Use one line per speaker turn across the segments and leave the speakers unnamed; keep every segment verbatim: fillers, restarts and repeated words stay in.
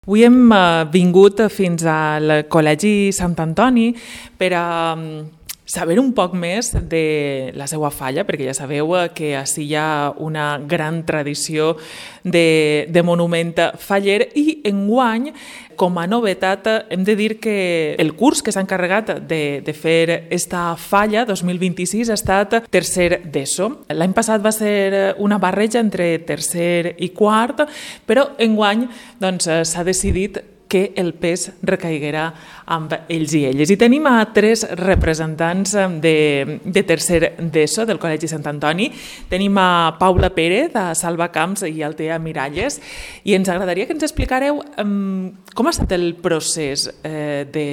Avui hem uh, vingut fins al Col·legi Sant Antoni per a um, saber un poc més de la seva falla, perquè ja sabeu que ací hi ha una gran tradició de, de monument faller i enguany, com a novetat, hem de dir que el curs que s'ha encarregat de, de fer esta falla dos mil vint-i-sis ha estat tercer d'ESO. L'any passat va ser una barreja entre tercer i quart, però enguany doncs, s'ha decidit que el pes recaiguerà amb ells i elles. I tenim a tres representants de, de tercer d'ESO del Col·legi Sant Antoni. Tenim a Paula Pérez, a Salvacamps i Altea Miralles, i ens agradaria que ens explicareu um, com ha estat el procés eh, de,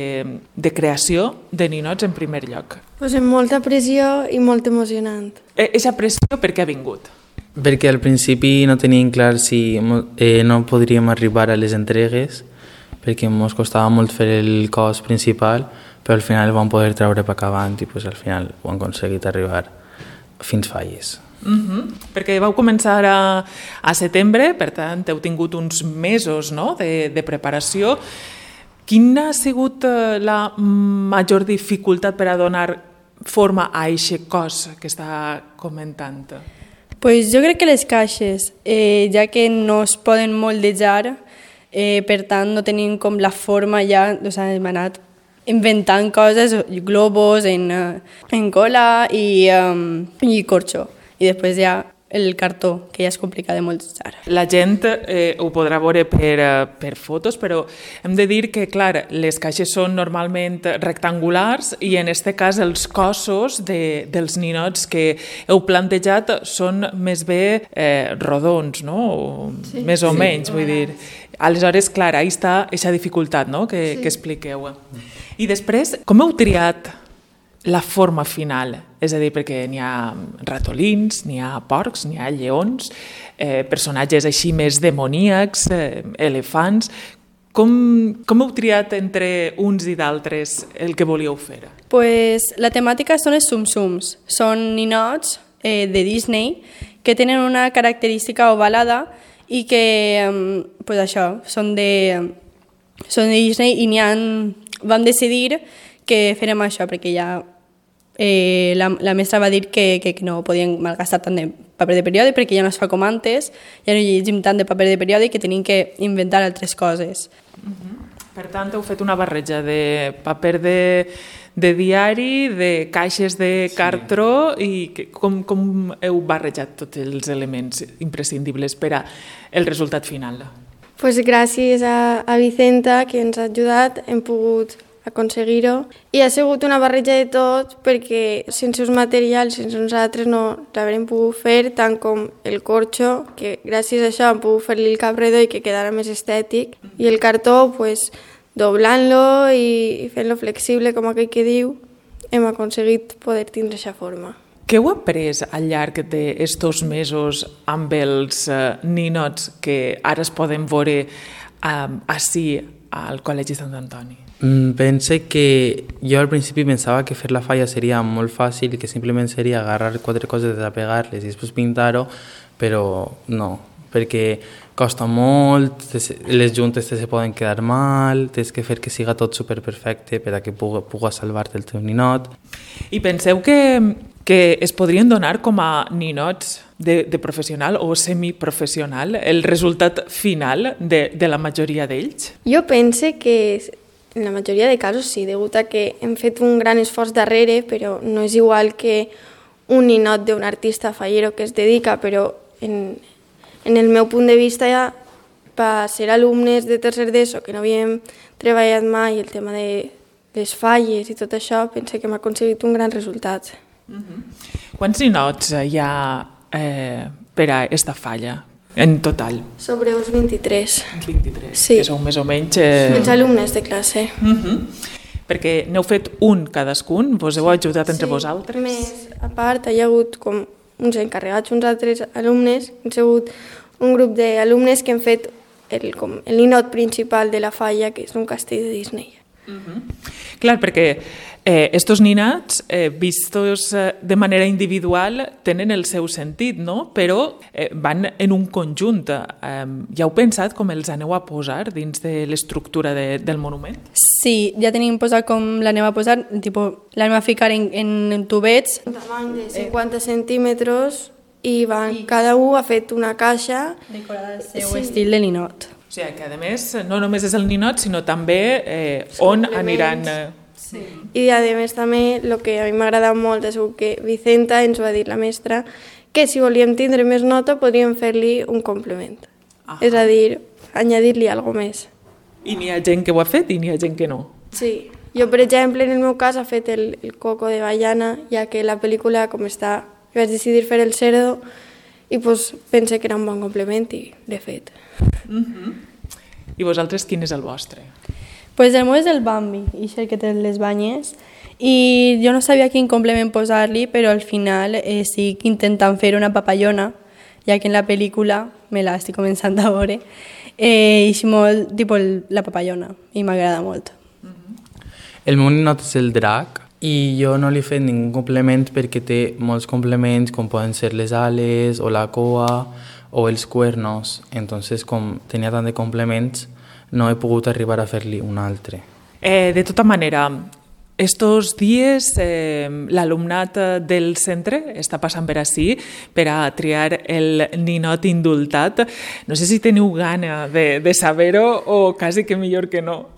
de creació de ninots en primer lloc.
Pues amb molta pressió i molt emocionant.
Eixa pressió per què ha vingut?
Perquè al principi no teníem clar si eh, no podríem arribar a les entregues, perquè ens costava molt fer el cos principal, però al final vam poder treure per acabant i pues, al final ho hem aconseguit arribar fins falles.
Uh-huh. Perquè vau començar a, a setembre, per tant heu tingut uns mesos, no?, de, de preparació. Quina ha sigut la major dificultat per a donar forma a aquest cos que està comentant?
Pues jo crec que les caixes, eh, ja que no es poden moldejar, Eh, per tant no tenim com la forma ja, o sigui, hem anat inventant coses, globos en, en cola i, um, i corxo, i després ja el cartó, que ja és complicat de moldejar.
La gent eh, ho podrà veure per, per fotos, però hem de dir que, clar, les caixes són normalment rectangulars i en aquest cas els cossos de, dels ninots que heu plantejat són més bé eh, rodons, no? O, sí, més o sí. menys, vull dir. Aleshores, clar, ahí està aquesta dificultat, no?, que, sí. que expliqueu. I després, com heu triat la forma final? És a dir, perquè n'hi ha ratolins, n'hi ha porcs, n'hi ha lleons, eh, personatges així més demoníacs, eh, elefants. Com, com heu triat entre uns i d'altres el que volíeu fer?
Pues, la temàtica són els sum-sums. Són ninots eh, de Disney que tenen una característica ovalada i que, pues això, són de, són de Disney i n'hi ha, vam decidir que farem això, perquè ja eh, la, la mestra va dir que, que, que no podien malgastar tant de paper de periòdic perquè ja no es fa com antes, ja no llegim tant de paper de periòdic que tenim que inventar altres coses.
Uh-huh. Per tant, heu fet una barreja de paper de, de diari, de caixes de cartró, sí. I que, com, com heu barrejat tots els elements imprescindibles per a el resultat final?
Pues gràcies a, a Vicenta, que ens ha ajudat, hem pogut aconseguir-ho. I ha sigut una barreja de tot, perquè sense els materials, sense nosaltres no l'haurem pogut fer, tant com el corxo, que gràcies a això hem pogut fer-li el cap redó i que quedara més estètic, i el cartó, pues, doblant-lo i fent-lo flexible, com aquell que diu, hem aconseguit poder tindre aquesta forma.
Què heu après al llarg d'estos mesos amb els uh, ninots que ara es poden veure uh, ací al Col·legi Sant Antoni?
Mm, pense que jo al principi pensava que fer la falla seria molt fàcil i que simplement seria agarrar quatre coses, desapegar-les i després pintar-ho, però no, perquè costa molt, les juntes te se poden quedar mal, tens que fer que siga tot superperfecte per a que puga, puga salvar-te el teu ninot.
I penseu que, que es podrien donar com a ninots de, de professional o semiprofessional el resultat final de, de la majoria d'ells?
Jo pense que en la majoria de casos sí, degut a que hem fet un gran esforç darrere, però no és igual que un ninot d'un artista fallero que es dedica, però en, en el meu punt de vista ja per ser alumnes de tercer d'ESO que no havíem treballat mai el tema de les falles i tot això, pense que hem aconseguit un gran resultat.
Uh-huh. Quants ninots hi ha eh, per a esta falla? En total?
Sobre uns vint-i-tres.
vint-i-tres,
sí.
Que són més o menys... Eh...
Els alumnes de classe.
Uh-huh. Perquè n'heu fet un cadascun, vos heu ajudat entre
sí.
vosaltres?
Més, a part, hi ha hagut com uns encarregats, uns altres alumnes, hem sigut un grup d'alumnes que han fet el, com, el ninot principal de la falla, que és un castell de Disney.
Uh-huh. Clar, perquè Eh, estos ninats, eh, vistos eh, de manera individual, tenen el seu sentit, no? Però eh, van en un conjunt. Eh, ja heu pensat com els aneu a posar dins de l'estructura de, del monument?
Sí, ja tenim posat com l'anem a posar, tipo, l'anem a ficar en, en tubets.
Un tamany de cinquanta centímetres i van, cada un ha fet una caixa.
Decorada al seu sí. estil de ninot.
O sigui que, a més, no només és el ninot, sinó també eh, on aniran... Eh...
Sí. I, a més, també, el que a mi m'ha agradat molt és que Vicenta ens va dir, la mestra, que si volíem tindre més nota podríem fer-li un complement. Ah. És a dir, añadir-li alguna més.
I n'hi ha gent que ho ha fet i n'hi ha gent que no.
Sí. Jo, per exemple, en el meu cas, he fet el, el coco de Baiana, ja que la pel·lícula, com està, vaig decidir fer el cerdo i pues, pense que era un bon complement i l'he fet.
Uh-huh. I vosaltres, quin és el vostre?
Pues el meu és el Bambi, i és el que té les banyes, i jo no sabia quin complement posar-li, però al final eh, estic intentant fer una papallona, ja que en la pel·lícula, me la estic començant a veure, eh, és molt tipus la papallona, i m'agrada molt.
Uh-huh. El meu ninot és el drac, i jo no li he fet ningú complement perquè té molts complements, com poden ser les ales, o la cua, o els cuernos. Entonces, com tenia tant de complements, no he pogut arribar a fer-li un altre.
Eh, de tota manera, estos dies eh, l'alumnat del centre està passant per ací per a triar el ninot indultat. No sé si teniu gana de, de saber-ho o quasi que millor que no.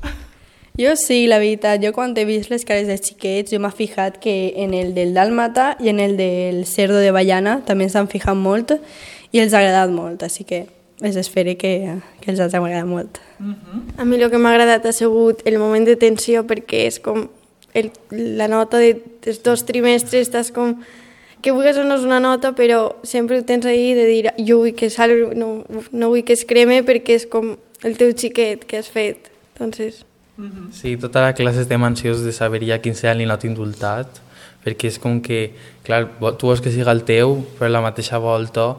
Jo sí, la veritat. Jo quan he vist les cares dels xiquets, jo m'he fijat que en el del dàlmata i en el del cerdo de Baiana també s'han fijat molt i els ha agradat molt, així que els espero que, que els ha agradat molt.
Uh-huh. A mi el que m'ha agradat ha sigut el moment de tensió, perquè és com el, la nota de, dels dos trimestres, estàs com que vulguis o no és una nota, però sempre ho tens ahí de dir jo vull que salvi, no, no vull que es creme perquè és com el teu xiquet que has fet. Entonces...
Sí, tota la classe estem ansiosos de saber ja quin serà el ninot indultat, perquè és com que, clar, tu vols que siga el teu, però a la mateixa volta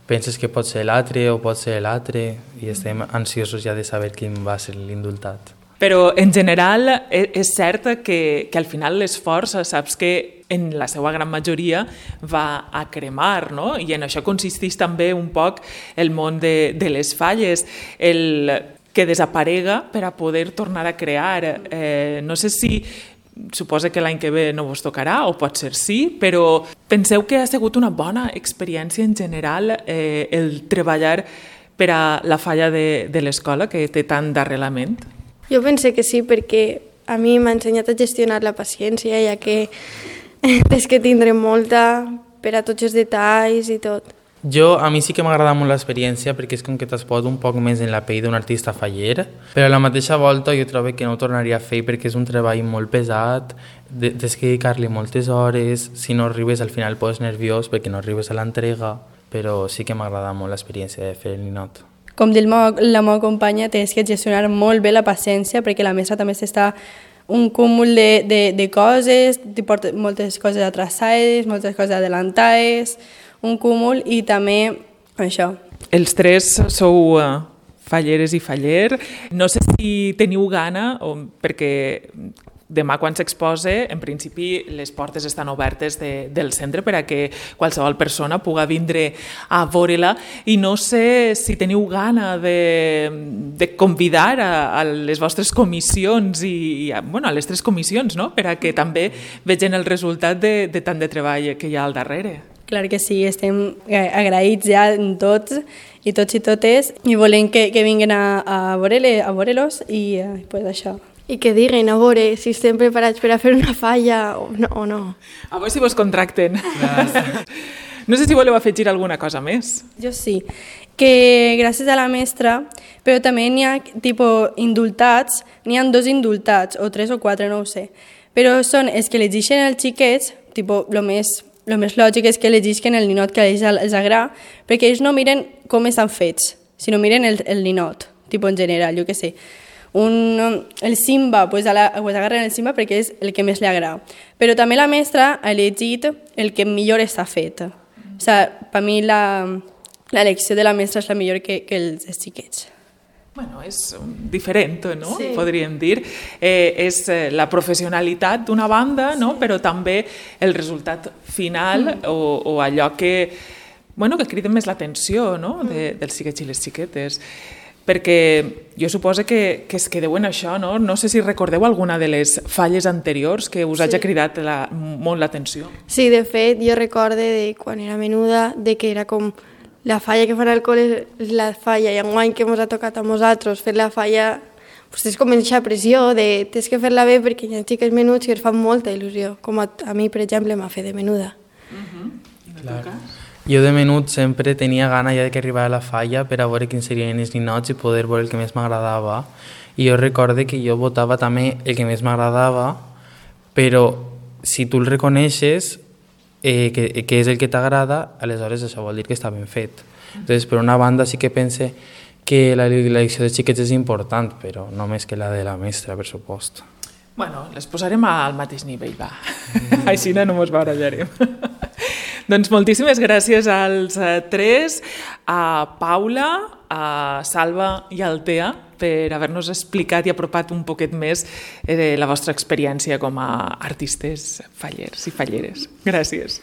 penses que pot ser l'altre o pot ser l'altre, i estem ansiosos ja de saber quin va ser l'indultat.
Però, en general, és cert que, que al final l'esforç, saps que en la seva gran majoria va a cremar, no? I en això consisteix també un poc el món de, de les falles, el... que desaparega per a poder tornar a crear. Eh, no sé si suposa que l'any que ve no vos tocarà, o pot ser sí, però penseu que ha sigut una bona experiència en general eh, el treballar per a la falla de, de l'escola, que té tant d'arrelament?
Jo pense que sí, perquè a mi m'ha ensenyat a gestionar la paciència, ja que tens que tindre molta per a tots els detalls i tot.
Jo, a mi sí que m'agrada molt l'experiència perquè és com que t'has posat un poc més en la pell d'un artista faller, però a la mateixa volta jo trobo que no ho tornaria a fer perquè és un treball molt pesat, tens que dedicar-li moltes hores, si no arribes al final poses nerviós perquè no arribes a l'entrega, però sí que m'agrada molt l'experiència de fer el ninot.
Com diu la meva companya, tens que gestionar molt bé la paciència perquè la mestra també s'està un cúmul de, de, de coses, porta moltes coses atrasades, moltes coses adelantades, un cúmul i també això.
Els tres sou uh, falleres i faller. No sé si teniu gana, o, perquè demà quan s'expose, en principi les portes estan obertes de, del centre per a que qualsevol persona pugui vindre a veure-la, i no sé si teniu gana de, de convidar a, a les vostres comissions i, i a, bueno, a les tres comissions, no? Per a que també vegin el resultat de, de tant de treball que hi ha al darrere.
Clar que sí, estem agraïts ja en tots i tots i totes i volem que, que vinguin a, a veure-los i eh, pues això.
I que diguen a veure si estem preparats per a fer una falla o no. O no.
A veure si vos contracten. No sé si voleu afegir alguna cosa més.
Jo sí, que gràcies a la mestra, però també n'hi ha tipus indultats, n'hi ha dos indultats, o tres o quatre, no ho sé, però són els que elegeixen els xiquets, tipus, el més... El més lògic és que elegisquen el ninot que a ells els agrada, perquè ells no miren com estan fets, sinó miren el, el ninot, tipus en general, jo què sé. Un, el Simba, pues, a la, pues agarren el Simba perquè és el que més li agrada. Però també la mestra ha elegit el que millor està fet. O sigui, per mi l'elecció de la mestra és la millor que, que els xiquets.
Bueno, és diferent, no?
Sí.
Podríem dir. Eh, és eh, la professionalitat d'una banda, no? Però també el resultat final mm. o, o allò que, bueno, que crida més l'atenció, no? De, dels xiquets i les xiquetes. Perquè jo suposo que, que es quedeu en això, no? No sé si recordeu alguna de les falles anteriors que us sí. hagi cridat la, molt l'atenció.
Sí, de fet, jo recorde de quan era menuda, de que era com la falla que fan al col·le és la falla, i enguany que ens ha tocat a nosaltres fer la falla, pues és com aquesta pressió de tens que fer-la bé perquè hi ha xiques menuts que es fan molta il·lusió, com a, a mi, per exemple, m'ha fet de menuda.
Uh-huh.
Clar. Jo de menut sempre tenia gana ja que arribava a la falla per a veure quins serien els ninots i poder veure el que més m'agradava. I jo recorde que jo votava també el que més m'agradava, però si tu el reconeixes, eh, que, que és el que t'agrada, aleshores això vol dir que està ben fet. Entonces, per una banda sí que pense que la elecció de xiquets és important, però no més que la de la mestra, per supost.
Bueno, les posarem al mateix nivell, va. Mm. Així no mos barallarem. Doncs moltíssimes gràcies als tres, a Paula, a Salva i al Tea, per haver-nos explicat i apropat un poquet més eh, la vostra experiència com a artistes fallers i falleres. Gràcies.